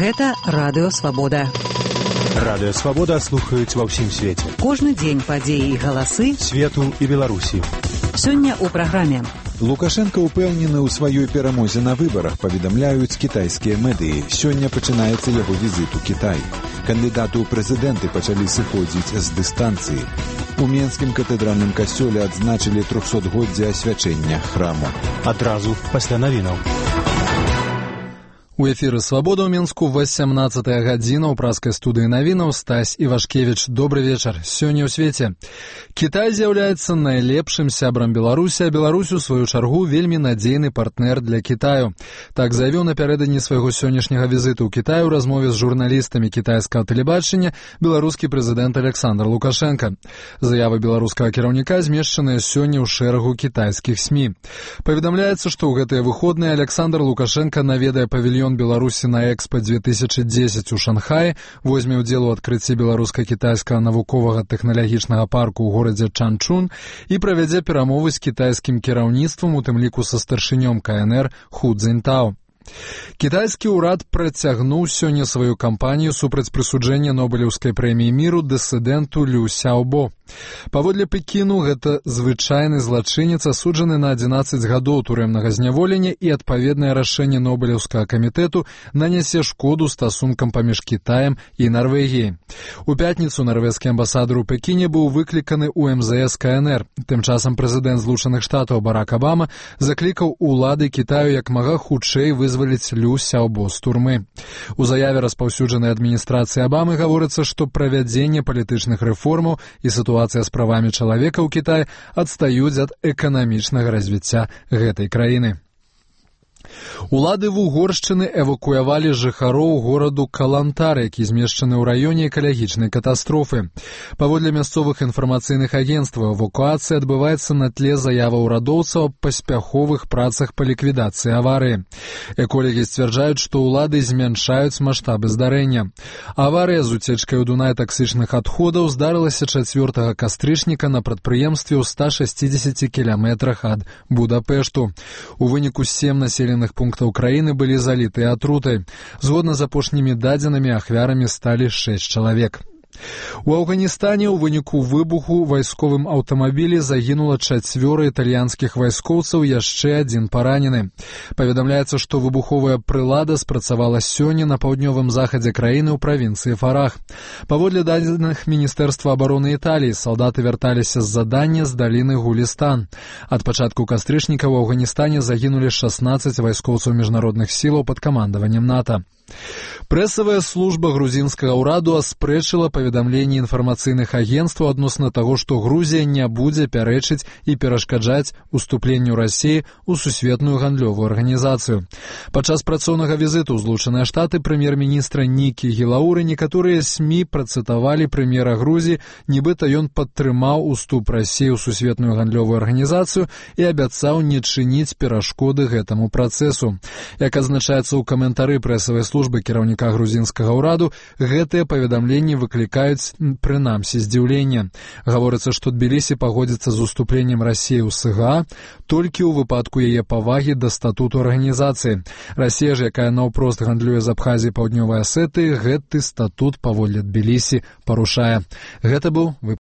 Гэта Радыё Свабода. Радыё Свабода слухаюць ва ўсім свеце. Кожны дзень падзеі і галасы свету і Беларусі. Сёння ў праграме. Лукашенко ўпэўнены ў сваёй перамозе на выбарах, паведамляюць кітайскія медыі. Сёння пачынаецца яго візіт у Кітай. Кандыдаты ў прэзідэнты пачалі сыходзіць з дыстанцыі. У Менскім катэдральным касцёле адзначылі 300-годдзе асвячэння храму. Адразу пасля навінаў. У эфіры «Свабода» ў Мінску 18-я гадзіна ў праскай студыі навінаў Стась Івашкевіч. Добры вечар. Сёння ў свеце. Кітай з'яўляецца найлепшым сябрам Беларусі, а Беларусь, у сваю чаргу, вельмі надзейны партнер для Кітаю. Так заявіў напярэдадні свайго сённяшняга візіту ў Кітай у размове з журналістамі кітайскага тэлебачання беларускі прэзідэнт Александр Лукашенко. Заявы беларускага кіраўніка змешчаныя сёння ў шэрагу кітайскіх СМІ. Паведамляецца, што ў гэтыя выходныя Александр Лукашенко наведае павільён Беларусі на Экспо 2010 у Шанхаі, возьме ўдзел у адкрыцці беларуска-кітайскага навуковага тэхналагічнага парку ў горадзе Чанчун і правядзе перамовы з кітайскім кіраўніцтвам, у тым ліку са старшынём КНР Ху Цзіньтао. Кітайскі ўрад працягнуў сёння сваю кампанію супраць прысуджэння Нобелеўскай прэміі міру дысідэнту Лю Сяобо. Паводле Пекіну, гэта звычайны злачынец, асуджаны на 11 гадоў турэмнага зняволення, і адпаведнае рашэнне Нобелеўскага камітэту нанясе шкоду стасункам паміж Кітаем і Нарвегіяй. У пятніцу нарвежскі амбасадар у Пекіне быў выкліканы ў МЗС КНР. Тым часам прэзідэнт Злучаных Штатаў Барак Абама заклікаў улады Кітаю як мага хутчэй вызваліць Лю Сяобо з турмы. У заяве, распаўсюджанай адміністрацыі Абамы, гаворыцца, што правядзенне палітычных рэформаў і сітуацыя з правамі чалавека ў Кітаі адстаюць ад эканамічнага развіцця гэтай краіны. Улады Вугоршчыны эвакуявалі жыхароў гораду Калантар, які змешчаны ў раёне экалагічнай катастрофы. Паводле мясцовых інфармацыйных агенцтваў, эвакуацыя адбываецца на тле заяваў урадоўцаў аб паспяховых працах па ліквідацыі аварыі. Эколагі сцвярджаюць, што ўлады змяншаюць маштабы здарэння. Аварыя з уцечкай у Дунай таксычных адходаў здарылася 4 кастрычніка на прадпрыемстве ў 160 кіламетрах ад Будапешту. У выніку 7 населеных пунктаў краіны былі залітыя атрутай. Згодна з апошнімі дадзенымі, ахвярамі сталі 6 чалавек. У Афганістане ў выніку выбуху вайсковым аўтамабілі загінула 4 італьянскіх вайскоўцаў, яшчэ 1 паранены. Паведамляецца, што выбуховая прылада спрацавала сёння на паўднёвым захадзе краіны ў правінцыі Фарах. Паводле дадзеных Міністэрства абароны Італіі, салдаты вярталіся з задання з даліны Гулістан. Ад пачатку кастрычніка ў Афганістане загінулі 16 вайскоўцаў міжнародных сілаў пад камандаваннем НАТО. Прэсавая служба грузінскага ўраду аспрэчыла паведамленні інфармацыйных агенцтваў адносна таго, што Грузія не будзе пярэчыць і перашкаджаць уступленню Расіі ў сусветную гандлёвую арганізацыю. Падчас працоўнага візіту ў Злучаныя Штаты прэм'ер-міністра Нікі Гілауры некаторыя СМІ працытавалі прэм'ера Грузіі, нібыта ён падтрымаў уступ Расіі ў сусветную гандлёвую арганізацыю і абяцаў не чыніць перашкоды гэтаму працэсу. Як адзначаецца ў каментары прэсавай службы кіраўніка грузінскага ўраду, гэтыя паведамленні выклікаюць прынамсі здзіўлення. Гаворыцца, што Тбілісі пагодзіцца з уступленнем Расіі ў СГА толькі ў выпадку яе павагі да статуту арганізацыі. Расія ж, якая наўпрост гандлюе з Абхазіяй і Паўднёвай Асетыі, гэты статут паводле Тбілісі парушае. Гэта быў